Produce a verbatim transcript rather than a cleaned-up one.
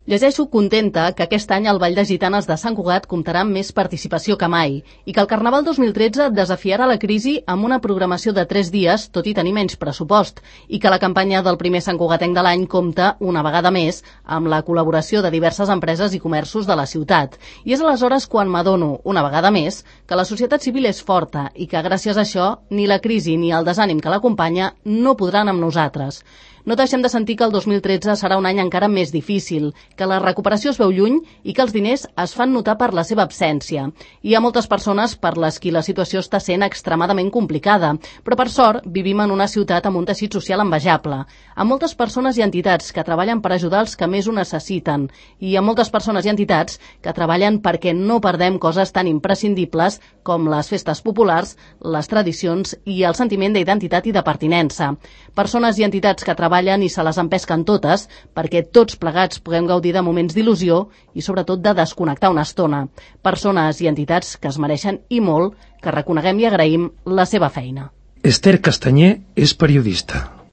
Llegeixo contenta que aquest any el Ball de Gitanes de Sant Cugat comptarà amb més participació que mai i que el Carnaval dos mil tretze desafiarà la crisi amb una programació de tres dies, tot i tenir menys pressupost, i que la campanya del primer Sant Cugatenc de l'any compta, una vegada més, amb la col·laboració de diverses empreses i comerços de la ciutat. I és aleshores quan m'adono, una vegada més, que la societat civil és forta i que gràcies a això ni la crisi ni el desànim que l'acompanya no podran amb nosaltres. No deixem de sentir que el dos mil tretze serà un any encara més difícil, que la recuperació es veu lluny i que els diners es fan notar per la seva absència. Hi ha moltes persones per les qui la situació està sent extremadament complicada, però per sort vivim en una ciutat amb un teixit social envejable, amb moltes persones i entitats que treballen per ajudar els que més ho necessiten i amb moltes persones i entitats que treballen perquè no perdem coses tan imprescindibles com les festes populars, les tradicions i el sentiment d'identitat i de pertinença. Persones i entitats que treballen i se les empesquen totes perquè tots plegats puguem gaudir de moments d'il·lusió i sobretot de desconnectar una estona. Persones i entitats que es mereixen i molt que reconeguem i agraïm la seva feina. Esther Castanyer és periodista.